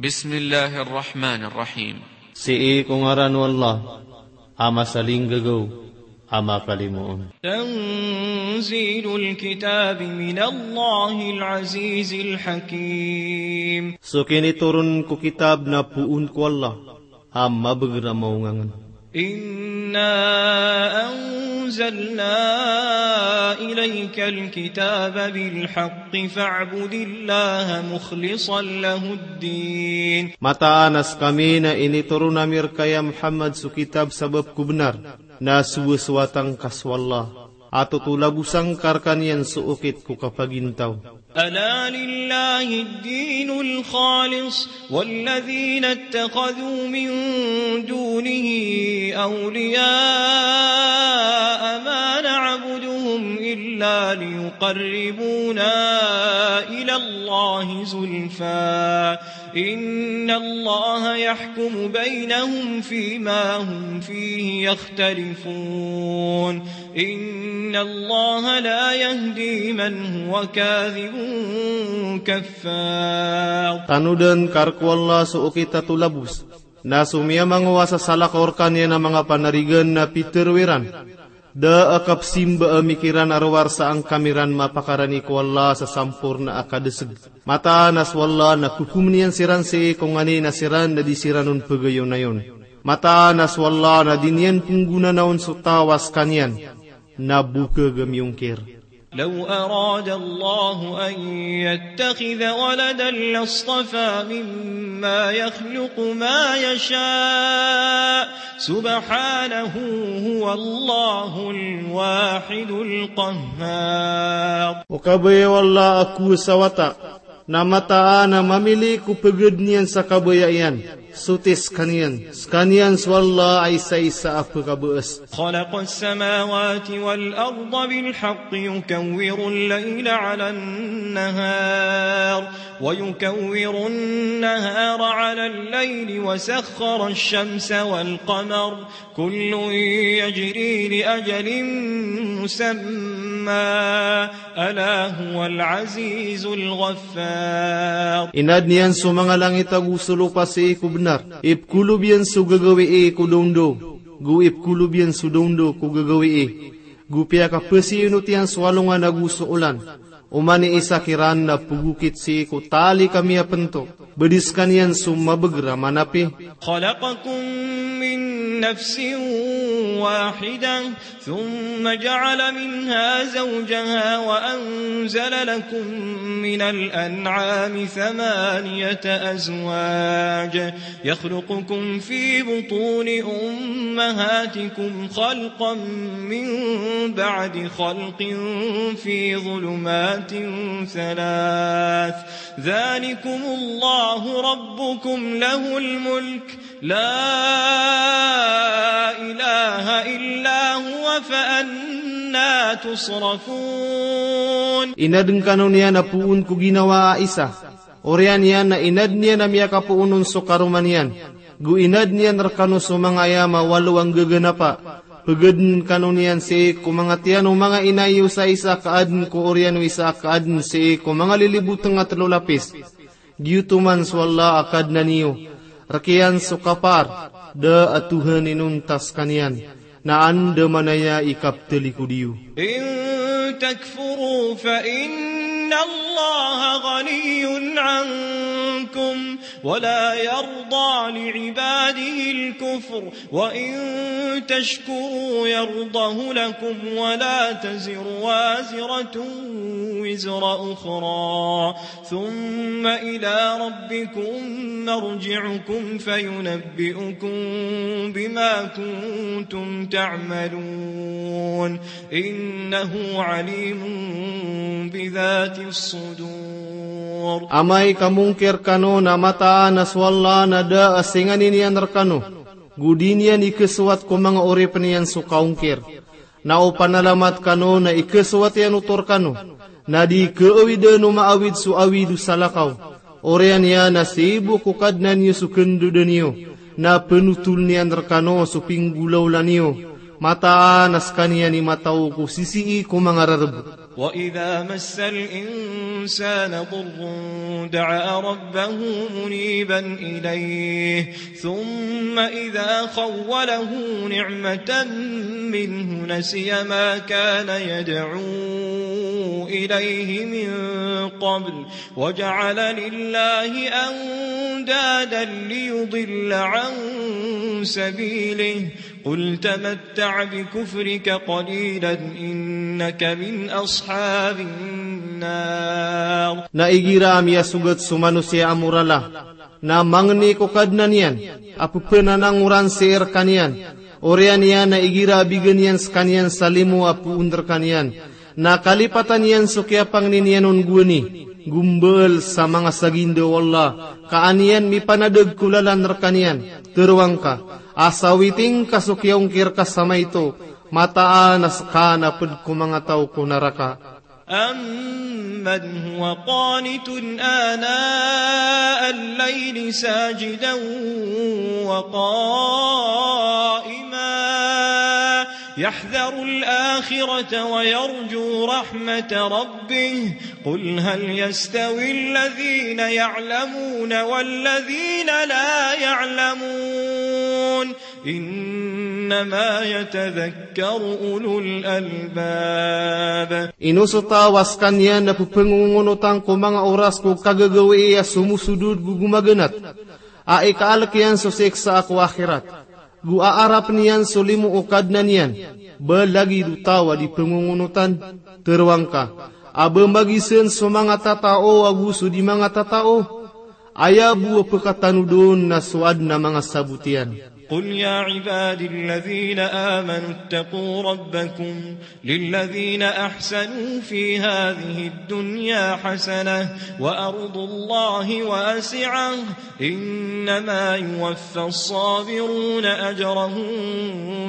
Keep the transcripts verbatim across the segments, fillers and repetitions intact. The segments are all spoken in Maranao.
Bismillahir Rahmanir Rahim. Sii ko ngaran o Allah, a masalinggagaw, a makalimoon. تنزيل الكتاب من الله العزيز الحكيم. So kinitoron ko kitab na poon ko Allah, a mabagr a maongangen. إنا أنزلنا إليك الكتاب بالحق فاعبد الله مخلصا له الدين. Mataan a skami na initoron ami rka ya Muhammad so kitab sabap ko bnar, na sowasowatangka so Allah, a totolabosan ka rkaniyan so okit ko kapagintaw. ألا لله الدين الخالص والذين اتخذوا من دونه أولياء ما نعبدهم إلا ليقربونا إلى الله زلفى إن الله يحكم بينهم فيما هم فيه يختلفون إن الله لا يهدي من هو كاذب كفار. Tanodan ka rka o Allah so okit a tolabos, na so miyamangowa sa salakaw rkaniyan a manga panarigan na pitharo iran, da a kapsimba a mikiran a rowar sa angkami ran mapakarani ko Allah sa samporna a kadeseg. Mataan a so Allah na kokomen iyan siran sii ko nganin a siran na di siran on pegayonayon. Mataan a so Allah na di niyan penggonanaon so taw a skaniyan na bokeg a miyongkir. لو أراد الله أن يتخذ ولدا لاصطفى مما يخلق ما يشاء سبحانه هو الله الواحد القهار. O kabaya o Allah a kowasa wata, na mataan a mamili ko peged niyan sa kabaya iyan, soti skaniyan. Skaniyan so Allah a isaisa a pekabaas. خلق السماوات والأرض بالحق يكور الليل على النهار ويكور النهار على الليل وسخر الشمس والقمر كل يجري لأجل مسمى ألا هو العزيز الغفار. Inadn iyan so manga langit ago so lopa sii ko bnar. Ipkolob iyan so gagawii ko daondaw, go ipkolob iyan so daondaw ko gagawii. Go piyakapasiinot iyan so alongan ago so olan. Oman i isa kiran na pegokit sii ko tali ka miyapento. Bedi skaniyan so mabagr a manapi. خلقكم من نفس واحدة ثم جعل منها زوجها وأنزل لكم من الأنعام ثمانية أزواج يخلقكم في بطون أمهاتكم خلقا من بعد خلق في ظلمات ثلاث ذلكم الله ربكم له الملك لا إله إلا هو فأنى تصرفون. Inadn kano niyan a poon ko ginawa a isa. Oriyan iyan na inadn iyan a miyakapoon on so karoma niyan. Go inadn iyan rkano so manga ayam a walo a nggaganapa. Pegedn kano niyan sii ko manga tiyan o manga ina iyo sa isa ka adn ko oriyan o isa ka adn sii ko manga lilibotng a telo lapis. Giyoto man so Allah a Kadnan iyo, rk iyan so kapar, da a tohan inonta skaniyan, na andamanaya i kaptalikod iyo. إن تكفروا فإن الله غني عنكم ولا يرضى لعباده الكفر وإن تشكروا يرضه لكم ولا تزر وازرة وزر أخرى ثم إلى ربكم مرجعكم فينبئكم بما كنتم تعملون إنه عليم بذات الصدور. Amay ka mongkir kano na mataan a so Allah na da a singanin iyan rkano, go di niyan ikesowat ko manga oripn iyan so kaongkir. Na o panalamat kano na ikesowat iyan oto rkano, na di keawidan o maawid so awid o salakaw. Oriyan iyan na sii bo ko Kadnan iyo so kendodan iyo, na penotoln iyan rkano so pinggolawla niyo, mataan a skaniyan i mataw ko sisii ko manga rarb. وإذا مس الإنسان ضر دعا ربه منيبا إليه ثم إذا خوله نعمة منه نسي ما كان يدعو إليه من قبل وجعل لله أندادا ليضل عن سبيله قل تمتع بكفرك قليلا إنك من أصحاب النار. Na igira a miyasogat so manosiya a morala, na mangni ko Kadnan iyan a pepenanangoran sii rekaniyan, oriyan iyan na igira a bigan iyan sekaniyan sa limo a poon rekaniyan, na kalipatan iyan so kiyapangni niyan on gowani, go mbaal sa manga saginda o Allah, ka an iyan mipanadeg ko lalan rekaniyan. Teroang ka a sawiting ka so kiyaongkir ka sa maito, mataan a seka na ped ko manga taw ko naraka. أمن هو قانت آناء الليل ساجدا وقائما يحذر الآخرة ويرجو رحمة ربه قل هل يستوي الذين يعلمون والذين لا يعلمون إنما يتذكر أولو الألباب. Ino so taw a sekaniyan na pepengongonotan ko manga oras ko kagagawii a somosodod go gomaganat, a ikaalek iyan so siksa ko akhirat, go aarap niyan so limo o Kadnan iyan, ba lagid o taw a di pengongonotan? Teroang ka a ba magisen so manga tatao ago so di manga tatao? Aya bo a pekatanod on na so aden a manga sabot iyan. قل يا عبادي الذين آمنوا اتقوا ربكم للذين أحسنوا في هذه الدنيا حسنة وأرض الله واسعة إنما يوفى الصابرون أجرهم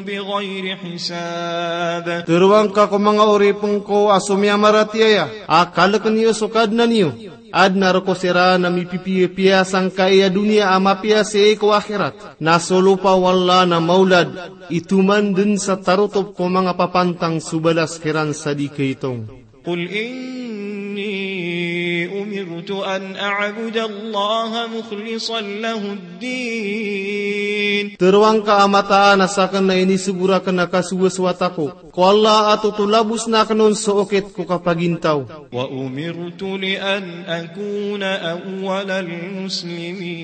بغير حساب. Teroang ka ko manga oripen ko a so miyamaratiyaya, a kaleken iyo so Kadnan iyo. Aden a reko siran a mipipiyapiya sangkai a doniya a mapiya sii ko akhirat. Na so lopa o Allah na maolad, itoman den sa tarotop ko manga papantang so balas kiran sa di kaitong. قل إني أمرت أن أعبد الله مخلصا له الدين. Teroang ka a mataan a saken na inisogo raken a kasowasowat ako ko Allah a totolabosn aken on so okit ko kapagintaw. وأمرت لأن أكون أول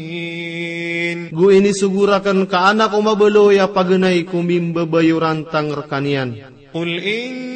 المسلمين. Go inisogo raken ka an ako mabaloy a paganay ko mimbabayorantang rekaniyan. قل إني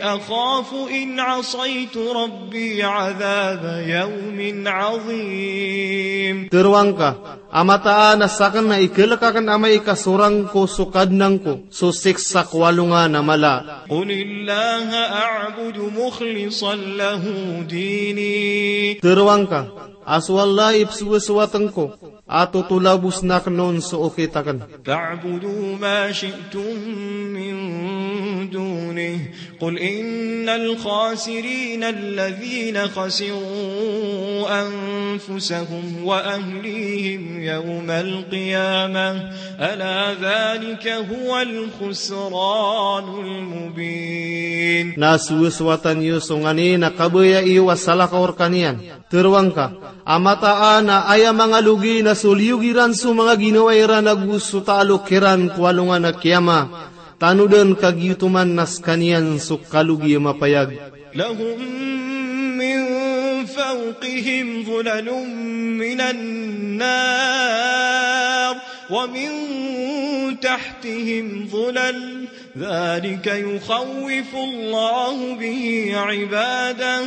أخاف إن عصيت ربي عذاب يوم عظيم. Teroang ka a mataan a saken na ikelek aken amay ka sorang ko so Kadnan ko so siksa ko alongan a mala. قل الله أعبد مخلصا له ديني. Teroang ka a so Allah i pesowasowaten ko a totolabosn aken on so okit aken. فاعبدوا ما شئتم من دونه قل إن الخاسرين الذين خسروا أنفسهم وأهليهم يوم القيامة ألا ذلك هو الخسران المبين. Na sowasowatan iyo so nganin a kabaya iyo a salakaw rekaniyan. Teroang ka a mataan a aya manga logi na so liyog iran so manga ginawa iran ago so taalok iran ko alongan a kiyama. Tanodan ka giyotoman na sekaniyan so kalogi a mapayag. لهم من فوقهم ظلل من النار ومن تحتهم ظلل ذلك يخوف الله به عباده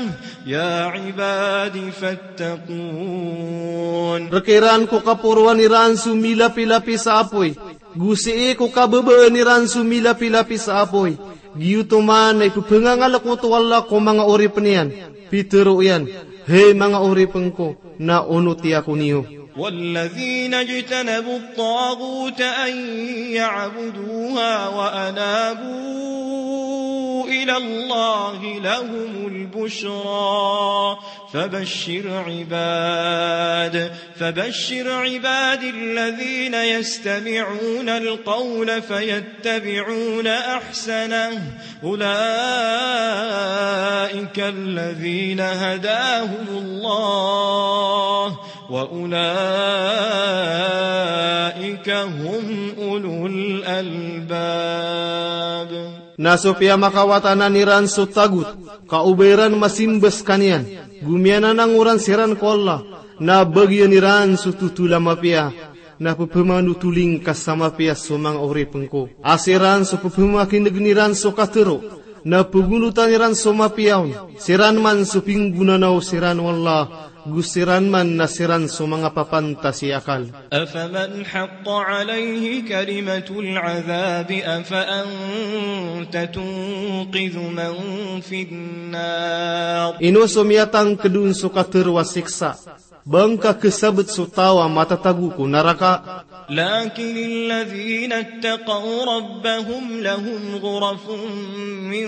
يا عباد فاتقون. Rekiran ko kaporoan iran so milapilapis a apoy, go sii ko kababaan iran so milapilapis a apoy. Giyotoman na ipepengangalekot o Allah ko manga oripen iyan. Pitero iyan, hay manga oripen ko, na onoti ako niyo. والذين اجتنبوا الطاغوت أن يعبدوها وأنابوا إلى الله لهم البشرى فبشر عباد، فبشر عبادي الذين يستمعون القول فيتبعون أحسنه، أولئك الذين هداهم الله وأولئك هم أولو الألباب. Na so piyamakawatanan iran so tagot, ka o ba iran masimba skaniyan, go miyananangoran siran ko Allah, na bagian iran so totol a mapiya, na pepemanotoling ka sa mapiya so manga oripn ko. A siran so pepemakinegn iran so katharo, na pegonotan iran so mapiya on, siran man so pinggonanaw siran o Allah, go siran man na siran so manga papantas i akal. أفمن حق عليه كلمة العذاب أفأنت تنقذ من في النار. Ino so miyatangkd on so katharo a siksa, ba ngka khasabt so taw a matatago ko naraka? لكن الذين اتقوا ربهم لهم غرف من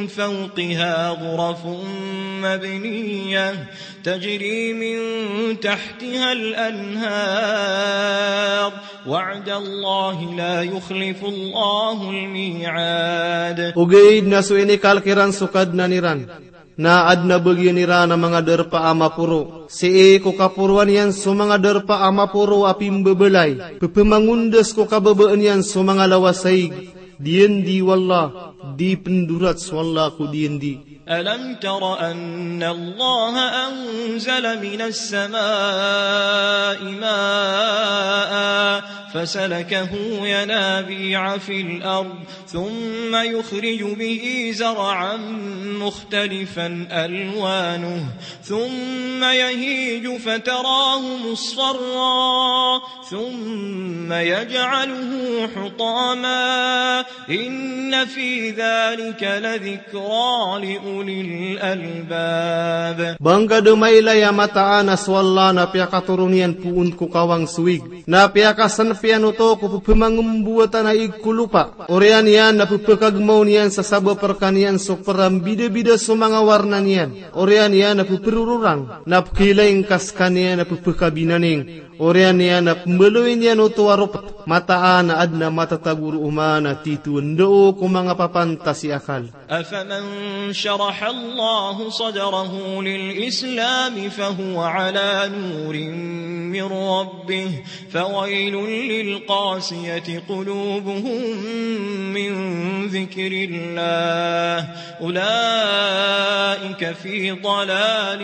فوقها غرف مبنية تجري من تحتها الأنهار وعد الله لا يخلف الله الميعاد. Ogaid na so inikalk iran so Kadnan iran, na adn a bagian iran a manga darpa a maporo, sii ko kaporoan iyan so manga darpa a maporo a pimbabalay, pepemangondas ko kababaan iyan so manga lawasaig, diyandi o Allah, di pndorat so Allah ko diyandi. ألم تر أن الله أنزل من السماء ماء فسلكه ينابيع في الأرض ثم يخرج به زرعا مختلفا ألوانه ثم يهيج فتراه مصفرا ثم يجعله حطاما إن في ذلك لذكرى لأولي الألباب. Ba ngka dn mailay a mataan a so Allah na piyakatoron iyan poon ko kawang so ig, na piyakasnp iyan oto ko pepemangmbowatan a ig ko lopa, oriyan iyan na pepekagmaw niyan sa sabap rkaniyan so prambidabida so manga warna niyan, oriyan iyan na peperororang, na pekilaing ka skaniyan na pepekabinaning, oriyan iyan na pembaloy niyan oto a ropet, mataan a adn a matatago roo man a titho ndao ko manga papantas i akal. أفمن شرح الله صدره للإسلام فهو على نور من ربه فويل للقاسية قلوبهم من ذكر الله أولئك في ضلال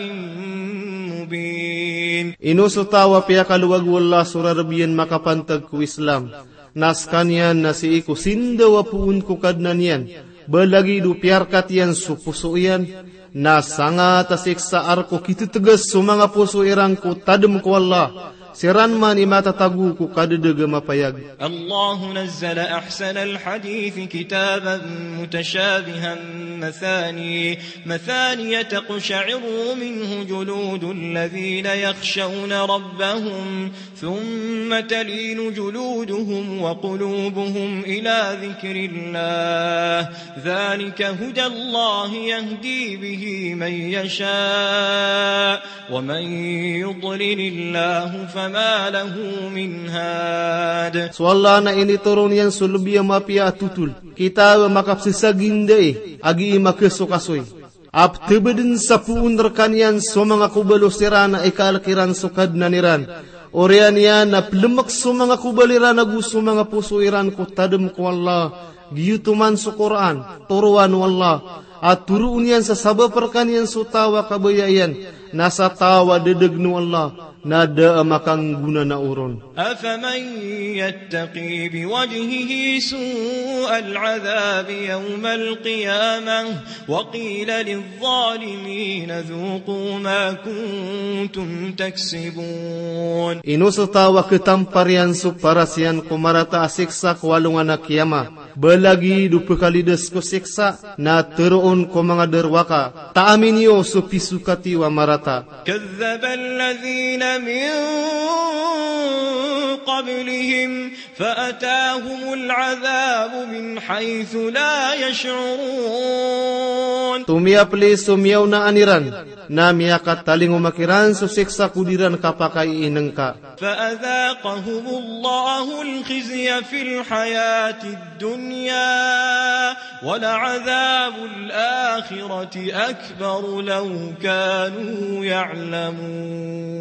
مبين. Ino so taw a piyakalowag o Allah so rarb iyan makapantag ko Islam, na skaniyan na sii ko sindaw a poon ko Kadnan iyan, ba lagid o piyarkat iyan so poso iyan, na sangat a siksa a rk o kitetgas so manga poso iran ko tadm ko Allah, siran man i matatago ko kadadg a mapayag. الله نزل أحسن الحديث كتابا متشابها مثاني، مثاني تقشعر منه جلود الذين يخشون ربهم ثم تلين جلودهم وقلوبهم إلى ذكر الله ذلك هدى الله يهدي به من يشاء ومن يضلل الله فما له من هاد. So Allah na initoron iyan so lbi a mapiya a totol, kitab a makapsasagindai, a gii makasokasoy. A ptbdn sa poon rkaniyan so manga kobalo siran a ikalk iran so Kadnan iran. Oriyan iyan na plmk so manga kobal iran ago so manga poso iran ko tadm ko Allah. Giyoto man so Qur'an, toroan o Allah, a toroon iyan sa sabap rkaniyan so taw a kabaya iyan, na sa taw a dadagn o Allah, na da a makanggonanao ron. أفمن يتقي بوجهه سوء العذاب يوم القيامة وقيل للظالمين ذوقوا ما كنتم تكسبون. Ino so taw a khatampar iyan so paras iyan ko marata a siksa ko alongan a kiyama, ba lagid o pkhalidas ko siksa, na tharoon ko manga darowaka, taami niyo so pisokat iyo a marata. كذب الذين من قبلهم فأتاهم العذاب من حيث لا يشعرون. Tomiyapli so miyaonaan iran, na miyakatalingoma kiran so siksa ko di ran kapakaiinengka. فأذاقهم الله الخزي في الحياة الدنيا ولعذاب الآخرة أكبر لو كانوا يعلمون.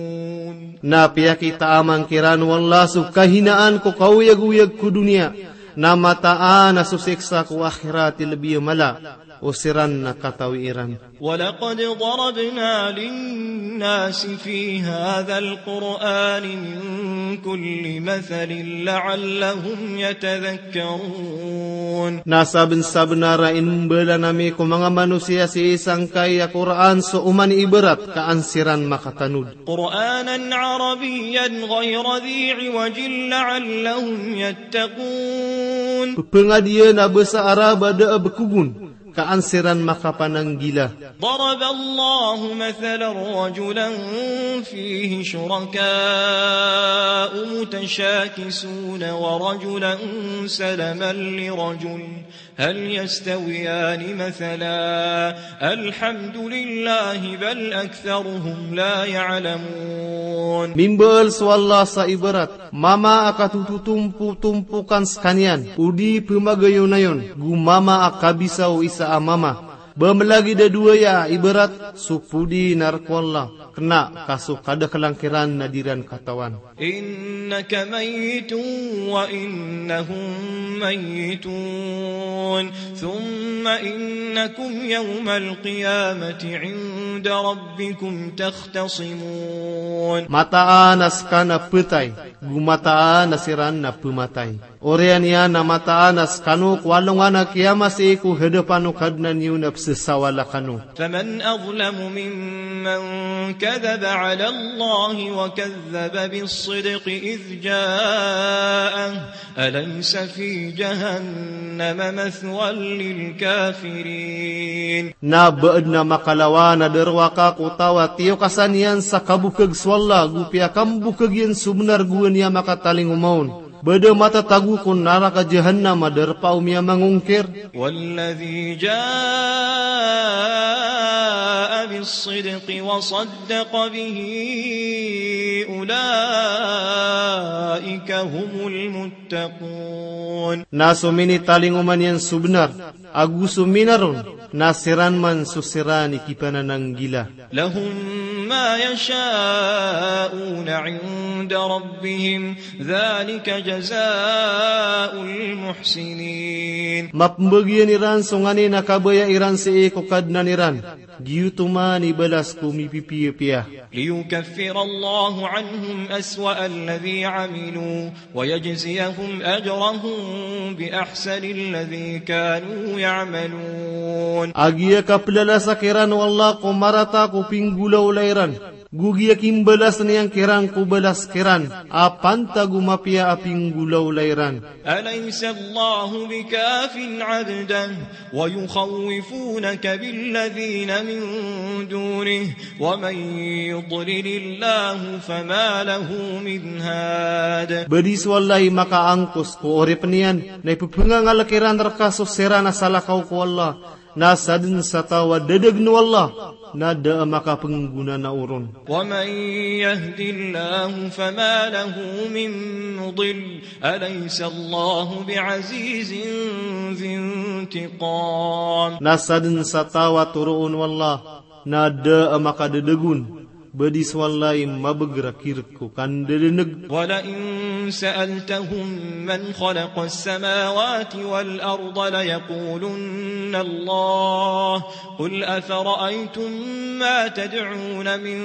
Na piyakitaaman kiran o Allah so kahinaan ko kaoyagoyag ko doniya, na mataan a so siksa ko akhirat i lebi a mala o siran na katawi iran. ولقد ضربنا للناس في هذا القرآن من كل مثل لعلهم يتذكرون. Na sabensabenar a inimbalan ami ko manga manosiya sii sangkai a Qur'an so oman i ibarat ka an siran makatanod. قرآنا عربيا غير ذي عوج لعلهم يتقون. Pepengadian a basa Arab a da a bekogon, ka an siran makapananggila. ضرب الله مثلا رجلا فيه شركاء متشاكسون ورجلا سلما لرجل هل يستويان مثلا الحمد لله بل أكثرهم لا يعلمون. Mimbaal so Allah sa ibarat mama a katototompotompokan sekaniyan, odi pemagayonayon, go mama a kabisa o isa a mama. Ba melagid a dowa aya a ibarat? So podi na rek o Allah, kena ka so kadakelan kiran na di ran katawan. إنك ميت وإنهم ميتون ثم إنكم يوم القيامة عند ربكم تختصمون. Mataan a seka na petay, go mataan a siran na pematay. Oriyan iyan na mataan a sekano ko alongan a kiyama sii ko hadapan o Kadnan iyo na pesesawala kano. فمن أظلم ممن كذب على الله وكذب بالصدق إذ جاءه أليس في جهنم مثوى للكافرين. Na ba aden a makalawan a darowaka ko taw a tiyokasan iyan sa kabokeg so Allah go piyakambokeg iyan so benar go aya makatalingoma on. Ba da matatago ko naraka Jahannam a darpa o miyamangongkir. والذي جاء بالصدق وصدق به أولئك هم المتقون. Na so minitalingoma niyan so benar, ago so minar on, na siran man so siran i kipanananggila. لهم ما يشاءون عند ربهم ذلك جزاء المحسنين. Mapembagian iran so nganin a kabaya iran sii ko Kadnan iran. Giyoto man i balas ko mipipiyapiya. ليكفر الله عنهم أسوأ الذي عملوا ويجزيهم أجرهم بأحسن الذي كانوا يعملون. A giya kaplalasa kiran o Allah ko marata ko pinggolawla iran, go giya kimbalas iyan kiran ko balas kiran a pantag o mapiya a pinggolawla iran. أليس الله بكاف عبده ويخوفونك بالذين من دونه ومن يضلل الله فما له من هاد. Ba di so Allah i makaangkos ko oripen iyan, na ipepengangalek iran reka so siran a salakaw ko Allah, na saden sa taw a dadegen o Allah, na da a makapenggonanao ron. ومن يهد الله فما له من مضل أليس الله بعزيز ذي انتقام. Na saden sa taw a toroon o Allah, na da a makadadeg on, ba di so Allah i mabeg rakirek ko kandadaneg. ولئن سألتهم من خلق السماوات والأرض ليقولن الله قل أفرأيتم ما تدعون من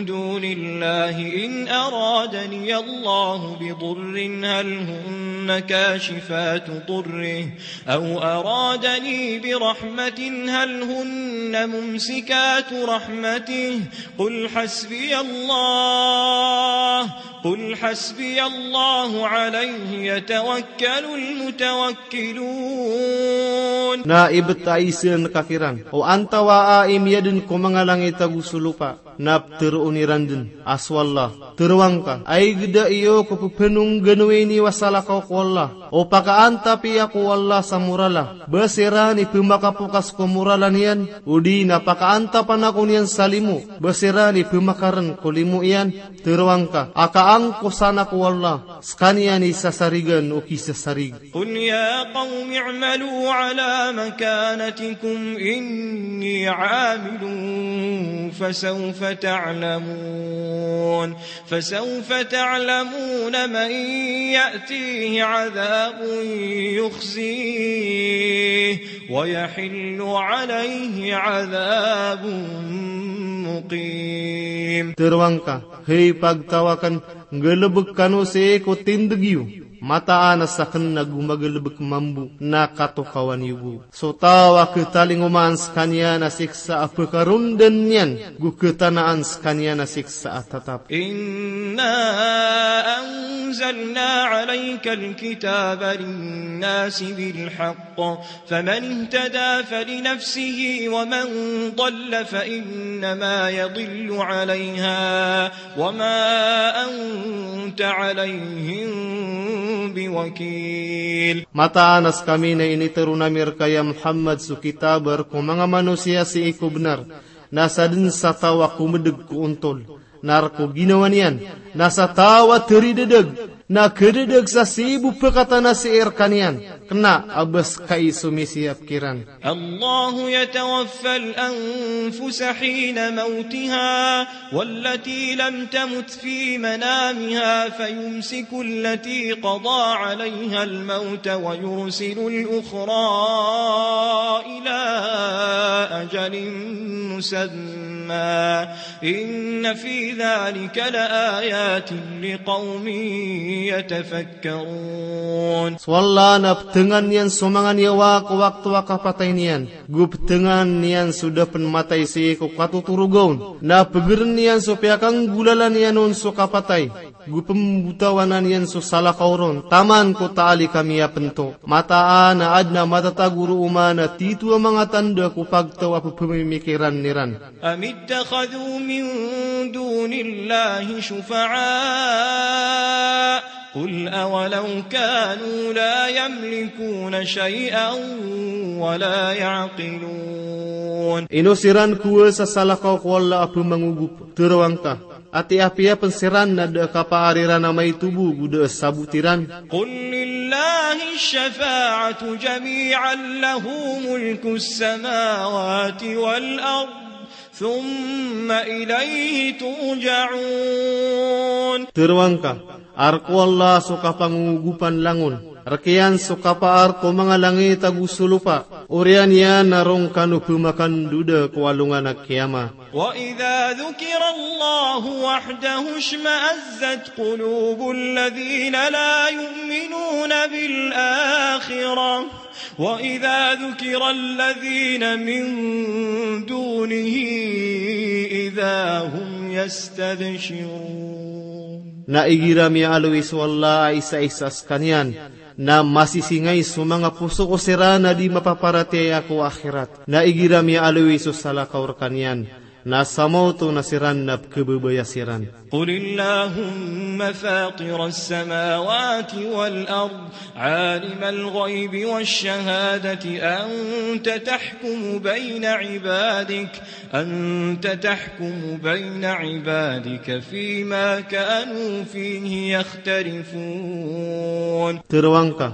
دون الله إن أرادني الله بضر هل هن كاشفات ضره أو أرادني برحمة هل هن ممسكات رحمته قل حسبي الله قل حسبي الله عليه يتوكل المتوكلون. Na ibtaisan ka kiran, o antawaa i miyadn ko manga langit ago so lopa, na ptharoon iran dn a so Allah. Tharoang ka, ay gda iyo ko pphanoganowini o salakaw ko Allah. O pakaantap iyan ko Allah sa morala, ba siran i pmakapokas ko morala niyan, odi na pakaantapan ako niyan sa limo, ba siran i pmakarn ko limo iyan. Tharoang ka, a kaangkosan ako o Allah, skaniyan i sasarigan o kisasarig. قل يا قوم اعملوا على مكانتكم إني عامل فسوف تعلمون. فسوف تعلمون من يأتيه عذاب يخزيه ويحل عليه عذاب مقيم. Tharoang ka, hay pagtaw akn, nggalbk kano sii ko tindg iyo, mataan a sakn na go magalbk mambo na katokawan iyo bo. So taw a khatalingoma an skaniyan a siksa a pkarondan iyan, go khatanaan skaniyan a siksa a tatap. إنا أنزلنا عليك الكتاب للناس بالحق فمن اهتدى فلنفسه ومن ضل فإنما يضل عليها وما أنت عليهم بوكيل. Mataan a skami na initharoon ami rka ya Muhammad so kitab a rk o manga manosiya sii ko bnar, na sadn sa taw a komdg ko ontol, na rk o ginawa niyan, na sa taw a tharidadg, na khadadg sa sii bo pkatana sii rkaniyan, kna a ba skai so misiyap kiran. الله يتوفى الأنفس حين موتها والتي لم تمت في منامها فيمسك التي قضى عليها الموت ويرسل الأخرى إلى أجل مسمى إن في ذلك لآيات لقوم يتفكرون. So Allah na ptngan iyan so manga niyawa ko wakto a kapatay niyan, go ptngan iyan so da pn matay sii ko katotoroga on, na pgrn iyan so piyakanggolalan iyan on so kapatay, go pmbotawanan iyan so salakaw ron taman ko taali ka miyapnto. Mataan a adn a matatago roo man a tito a manga tanda ko pagtaw a pphamikiran iran. أم اتخذوا من دون الله شفعاء قل أولو كانوا لا يملكون شيئا ولا يعقلون. Ino siran kowa sa salakaw ko Allah a pmangogop? Tharoang ka, ati apiya pn siran na da a kapaar iran a maito bo go da a sabot iran. قل لله الشفاعة جميعا له ملك السماوات والأرض ثم إليه ترجعون. Tharoang ka, a rk o Allah so kapangogopan langon, rk iyan so kapaar ko manga langit ago so lopa, oriyan iyan a roo kano pmakandoda ko alongan a kiyama. وإذا ذكر الله وحده اشمأزت قلوب الذين لا يؤمنون بالآخرة وإذا ذكر الذين من دونه إذا هم يستبشرون. Na igira miyaaloy so Allah a isaisa skaniyan, na masisingay so manga poso ko siran a di mapaparatiyaya ko akhirat. Na igira miyaaloy so salakaw rkaniyan, na samaoto na siran na pkhababaya siran. قل اللهم فاطر السماوات والأرض عالم الغيب والشهادة أنت تحكم بين عبادك، أنت تحكم بين عبادك فيما كانوا فيه يختلفون. Tharoang ka,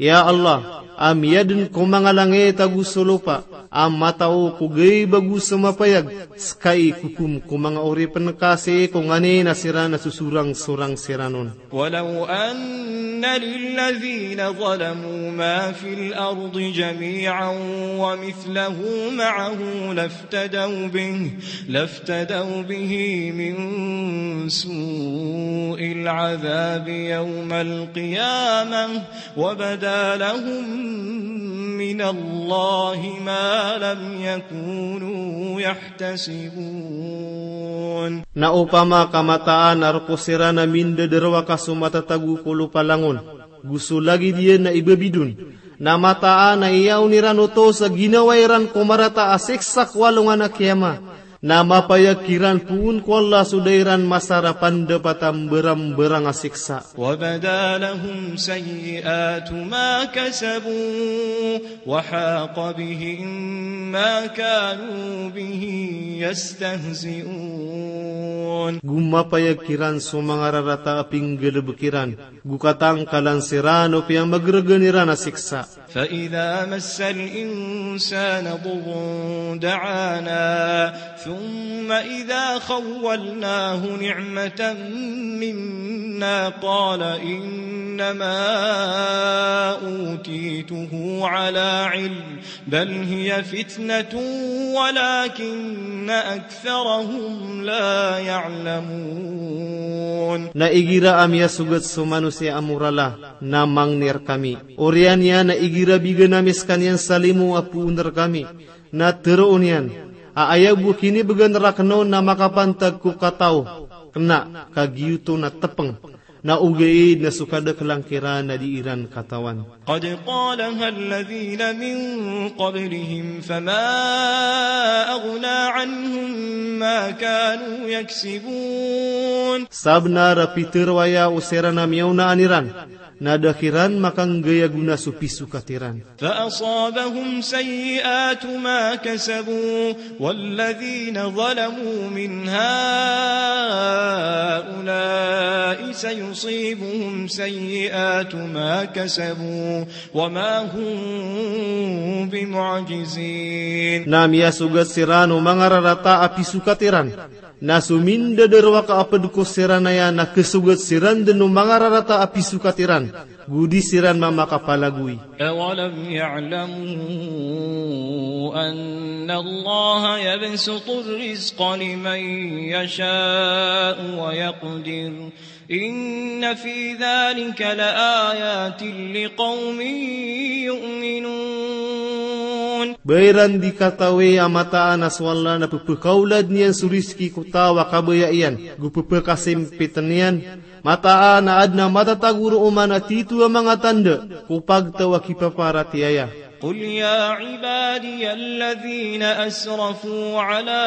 Ya Allah, a miyadn ko manga langit ago so lopa, a matao ko gaib ago so mapayag, ska i kokom ko manga oripn ka sii ko nganin a siran a sosorang-sorang siran on. ولو أن للذين ظلموا ما في الأرض جميعا ومثله معه لافتدوا به، لافتدوا به من سوء العذاب يوم القيامة وبدا لهم من من الله ما لم يكونوا يحتسبون. Na opama ka mataan a rk siran a mindadarowaka so matatago ko lopa langon, go so lagid iyan a ibabidon, na mataan a iyaon iran oto sa ginawa iran ko marata a siksa ko alongan a kiyama, na mapayag kiran poon ko Allah so da iran masar a pandapat a mbarangbarang a siksa. وبدا لهم سيئات ما كسبوا وحاق بهم ما كانوا به يستهزئون. Go mapayag kiran so manga rarata a pinggalbk iran, go katangkalan siran o piyamagrgan iran a siksa. فإذا مس الإنسان ضر دعانا ثم إذا خولناه نعمة منا قال إنما أوتيته على علم بل هي فتنة ولكن أكثرهم لا يعلمون. Na igira a miyasogat so manosiya a morala, na mangni rkami. Oriyan iyan a igira bigan ami skaniyan sa limo a poon rkami, na tharoon iyan a aya bo kinibgan rakn on na makapantag ko kataw, kna ka giyoto na tpng, na ogaid na so kadaklan kiran na di iran katawan. قد قالها الذين من قبلهم فما أغنى عنهم ما كانوا يكسبون. Sabnar a pitharo aya o siran a miyaonaan iran, na da kiran makanggay a gona so pisokat iran. فأصابهم سيئات ما كسبوا والذين ظلموا من هؤلاء سيصيبهم سيئات ما كسبوا وما هم بمعجزين. Na miyasogat siran o manga rarata a pisokat iran. Na so mindadarowaka a pd ko siran aya na khasogat siran dn o manga rarata a pisokat iran, go di siran mamakapalagoy. أولم يعلموا أن الله يبسط الرزق لمن يشاء ويقدر إن في ذلك لآيات لقوم يؤمنون. Ba iran di katawi a mataan a so Allah na pphakaolad iyan so rizki ko taw a kabaya iyan, go pphakasimpitn iyan, mataan a adn a matatago roo man a titho a manga tanda ko pagtaw a kipaparatiyaya. قل يا عبادي الذين أسرفوا على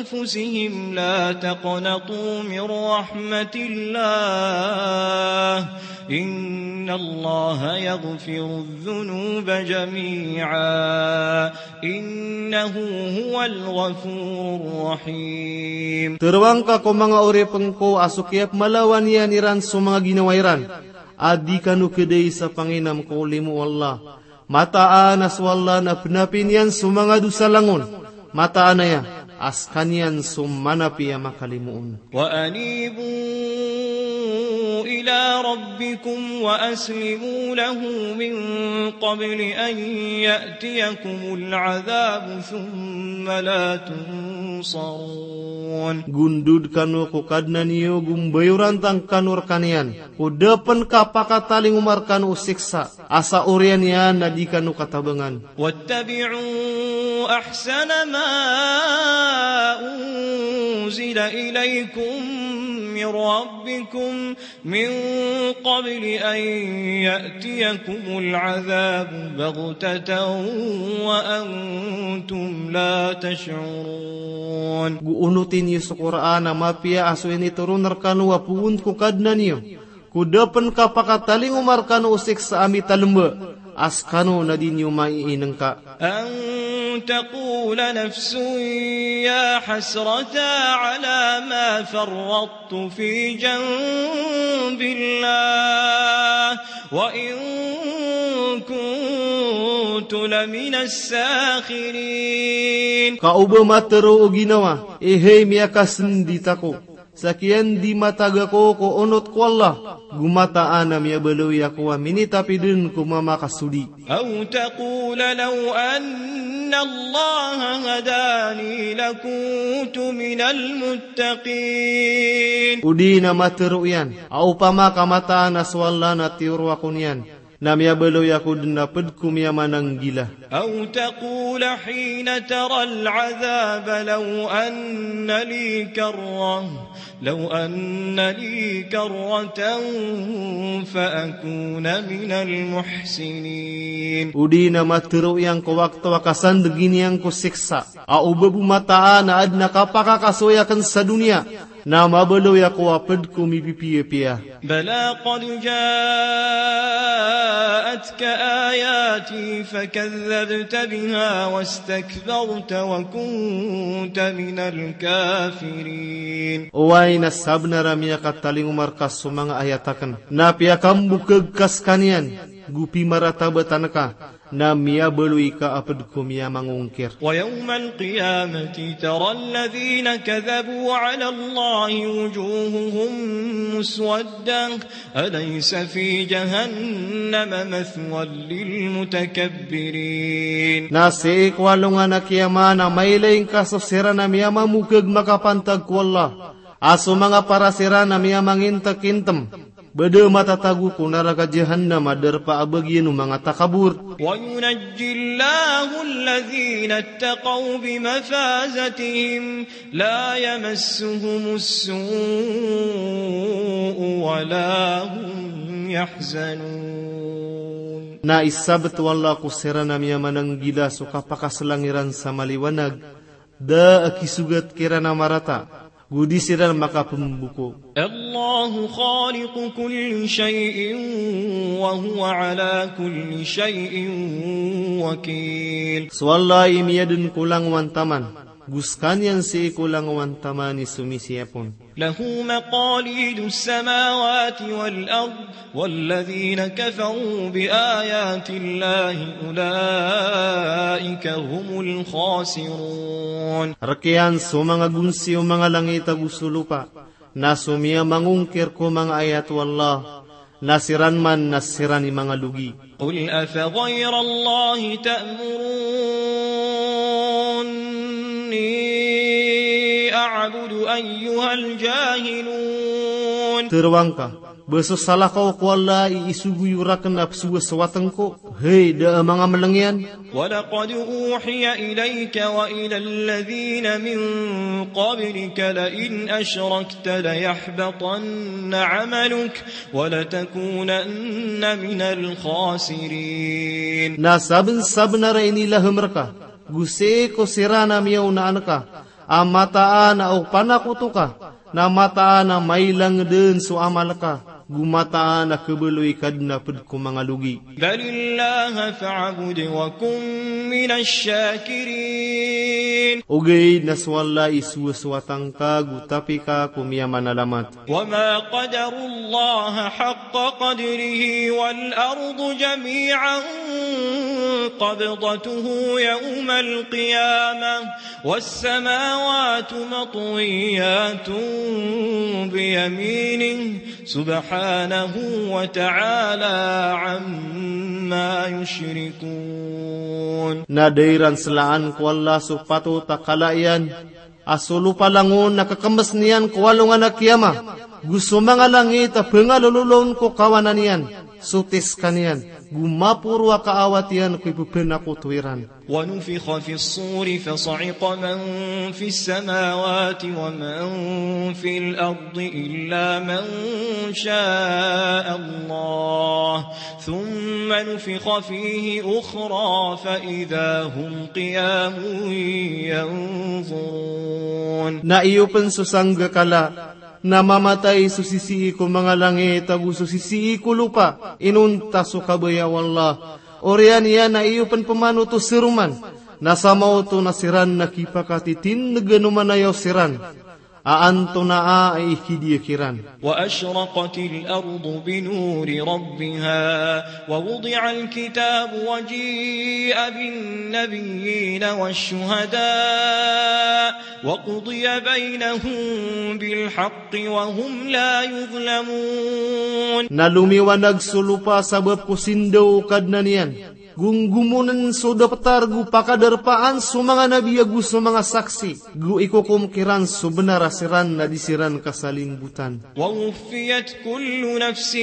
أنفسهم لا تقنطوا من رحمة الله إن الله يغفر الذنوب جميعا إنه هو الغفور الرحيم. Tharoa ngka ko manga oripn ko a so kiyapmalawan iyan iran so manga ginawa iran, a di kano khadai sa panginam ko limo o Allah. Mataan a so Allah na pnapi niyan so manga dosa langon. Mataan aya a skaniyan so manapi a makalimo on. وأنيبوا إلى ربكم وأسلموا له من قبل أن يأتيكم العذاب ثم لا تنصرون. Gondod kano ko Kadnan iyo, go mbayorantang kano rkaniyan, ko da pn kapakatalingoma rkano o siksa a sa oriyan iyan na di kano katabangan. واتبعوا أحسن ما أنزل إليكم من ربكم من قبل أن يأتيكم العذاب بغتة وأنتم لا تشعرون. Go onoti niyo so Qur'an a mapiya a so initoron rkano a poon ko Kadnan iyo, ko da pn kapakatalingoma rkano o siksa a mitalmba, a skano na di niyo maiinngka. أن تقول نفس يا حسرتى على ما فرطت في جنب الله وإن كنت لمن الساخرين. Ka o ba matharo o ginawa, ehay miyakasndit ako, sa kiyandimatag ako ko onot ko Allah, go mataan a miyabaloy ako a minitapi dn ko mamakasodi. أو تقول لو أن الله هداني لكنت من المتقين. O di na matharo iyan a opama ka mataan a so Allah na tiyoro ako niyan, Na miyabaloy ako dn a pd ko miyamananggila. أو تقول حين ترى العذاب لو أن لي كرة، لو أن لي كرة فأكون من المحسنين. O di na matharo iyan ko wakto a kasandgin iyan ko siksa a o ba bo mataan a adn a kapakakasoy akn sa doniya, na mabaloy ako a pd ko mipipiyapiya. بلى قد جاءتك آياتي فكذبت بها واستكبرت وكنت من الكافرين. Oway, na sabnar a miyakatalingoma rka so manga ayat akn, na piyakambokg ka skaniyan, go pimaratabat angka, na miyabaloy ka a pd ko miyamangongkir. ويوم القيامة ترى الذين كذبوا على الله وجوههم مسودة، أليس في جهنم مثوى للمتكبرين. Na sii ko alongan a kiyama na mailay ngka so siran a miyamamokg makapantag ko Allah, a so manga para siran a miyamangintkintm, ba da matatago ko naraka Jahannam a darpa a bagian o manga takabor. وينجي الله الذين اتقوا بمفازتهم لا يمسهم السوء ولا هم يحزنون. Na isabt o Allah ko siran a miyamananggila so kapakaslang iran sa maliwanag, da a kisogat kiran a marata, go di siran makapmboko. الله خالق كل شيء وهو على كل شيء وكيل. So Allah i miyadn ko langowan taman, go skaniyan sii ko langowan taman i somisiyapon. له مقاليد السماوات والأرض والذين كفروا بآيات الله أولئك هم الخاسرون. Rk iyan so manga gonsi o manga langit ago so lopa, na so miyamangongkir ko manga ayat o Allah, na siran man na siran i manga logi. قل أفغير الله تأمروني أعبد أيها الجاهلون. Tharoang ka, ba so salakaw ko Allah i isogo iyo rakn a pzowasowatn ko, hay da a manga mlng iyan. ولقد أوحي إليك وإلى الذين من قبلك لئن أشركت ليحبطن عملك ولتكونن من الخاسرين. Na sabnsabnar a inilahm rka, go sii ko siran a miyaonaan ka, a mataan a o panakoto ka, na mataan a mailang dn so amal ka, go mataan a khabaloy ka dn a pd ko manga logi. بل الله فاعبد وكن من الشاكرين. Ogaid na so Allah i sowasowatn ka, go tapi ka ko miyamanalamat. وما قدروا الله حق قدره والأرض جميعا قبضته يوم القيامة والسماوات مطويات بيمينه سبحانه وتعالى عما يشركون. Na da iran slaan ko Allah so patot a kala iyan, a so lopa langon na kakmbs niyan ko alongan a kiyama, go so manga langit a pngalololon ko kawanan iyan, so tiska niyan, go maporo a kaawat iyan ko ipphanakoto iran. ونفخ في الصور فصعق من في السماوات ومن في الأرض إلا من شاء الله ثم نفخ فيه أخرى فإذا هم قيام ينظرون. Na iyo pn so sanggakala, na mamatay so sisii ko manga langit ago so sisii ko lopa, inonta so kabaya o Allah. Oriyan iyan na iyo pn pmanoto seroman, na samaoto na siran na kipakatitindgan o manayaw siran a antonaa i kidiya kiran. وأشرقت الأرض بنور ربها ووضع الكتاب وجيء بالنبيين والشهداء وقضي بينهم بالحق وهم لا يظلمون. Na lomiwanag so lopa sabap ko sindaw o Kadnan iyan, Gomgomonen so daptar go pakadarpaan so manga nabi ago so manga saksi. Go ikokom kiran so bnar a siran na di siran kasalimbotan. ووفيت كل نفس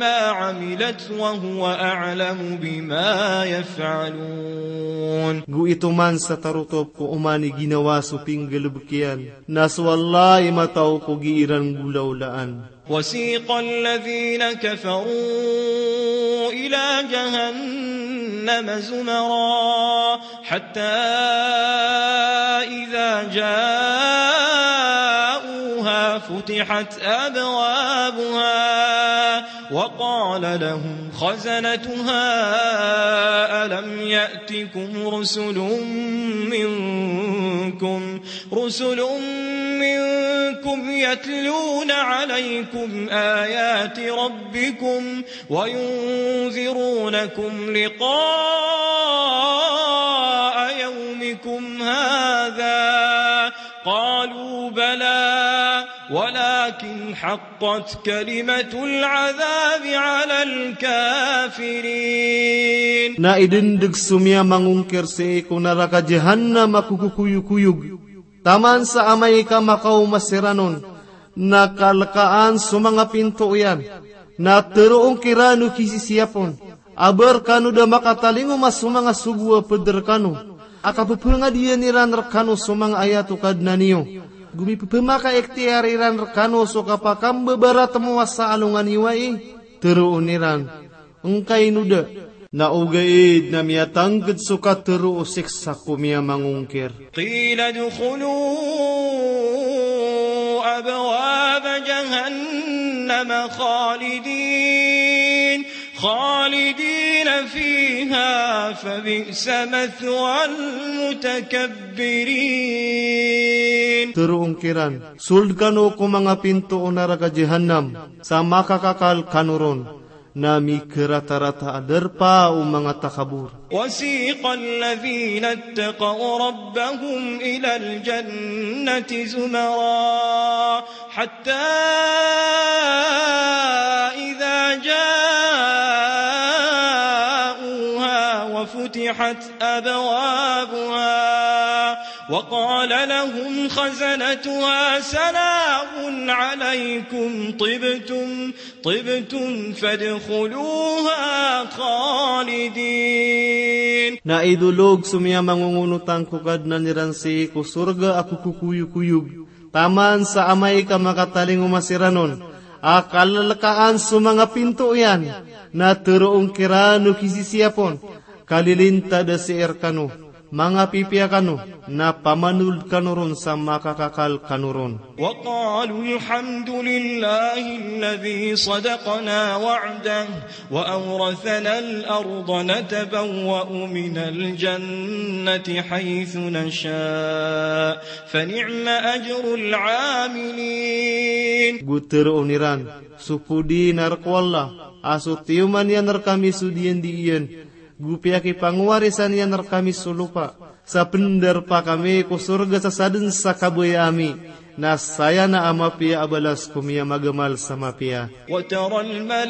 ما عملت وهو أعلم بما يفعلون. Go itoman sa tarotop ko oman i ginawa so pinggalbk iyan, na so Allah i matao ko gii ran golaolaan. وسيق الذين كفروا إلى جهنم زمرا حتى إذا جاءوها فتحت أبوابها وقال لهم خزنتها ألم يأتكم رسل منكم، رسل منكم يتلون عليكم آيات ربكم وينذرونكم لقاء يومكم هذا؟ قالوا بلى ولكن حقت كلمة العذاب على الكافرين. Na idndg so miyamangongkir sii ko naraka Jahannam a kokokoyokoyog. Taman sa amay ka makaoma siran on, na kalkaan so manga pinto iyan, na tharoon kiran o kisisiyap on. A ba rkano da makatalingoma so manga sogo a pd rkano a kapphangadian iran rkano so manga ayat o Kadnan iyo, go mipphmakaikhtiyar iran rkano so kapakambabaratmo a sa alongan iyo ai? Tharoon iran, ngkaino da. Na ogaid na miyatangkd so katharo o siksa ko miyamangongkir. قيل ادخلوا أبواب جهنم خالدين، خالدين فيها فبئس مثوى المتكبرين. Tharoon kiran, sold kano ko manga pinto o naraka Jahannam, sa makakakal kano ron. Na mikaratarata a darpa o manga takabor. وسيق الذين اتقوا ربهم إلى الجنة زمرا حتى إذا جاءوها وفتحت أبوابها وقال لهم خزنتها سلام عليكم طبتم طبتم فادخلوها خالدين. Na idolog so miyamangongonotang ko Kadnan iran sii ko sorga a kokokoyokoyog. Taman sa amay ka makatalingoma siran on a kalkaan so manga pinto iyan, na tharoon kiran o kisisiyap on, kalilintad a sii rkano, mangapipiya kano, na pamanold kano ron sa makakakal kano ron. وقالوا الحمد لله الذي صدقنا وعده وأورثنا الأرض نتبوأ من الجنة حيث نشاء فنعم أجر العاملين. Go tharoon iran, sopodi na rk o Allah a so tiyoman iyan rkami so diyandi iyan, go piyakipangowarisan iyan rkami so lopa, sa pndarpa kami ko sorga sa sadn sa kabaya ami, na saya na a mapiya a balas ko miyamagamal sa mapiya. وترى الملائكة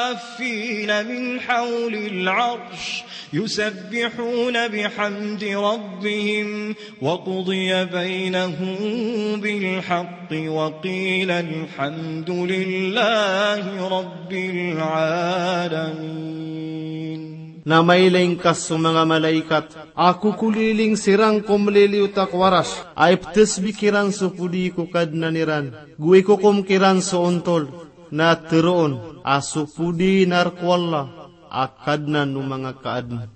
حافين من حول العرش يسبحون بحمد ربهم وقضي بينهم بالحق وقيل الحمد لله رب العالمين. Na mailay ngka so manga malaikat a kokoliling siran ko mliliyot a ko Arash, a ipthasbih kiran so podi ko Kadnan iran, go ikokom kiran so ontol, na tharoon a sopodi na rk o Allah a Kadnan o manga kaadn.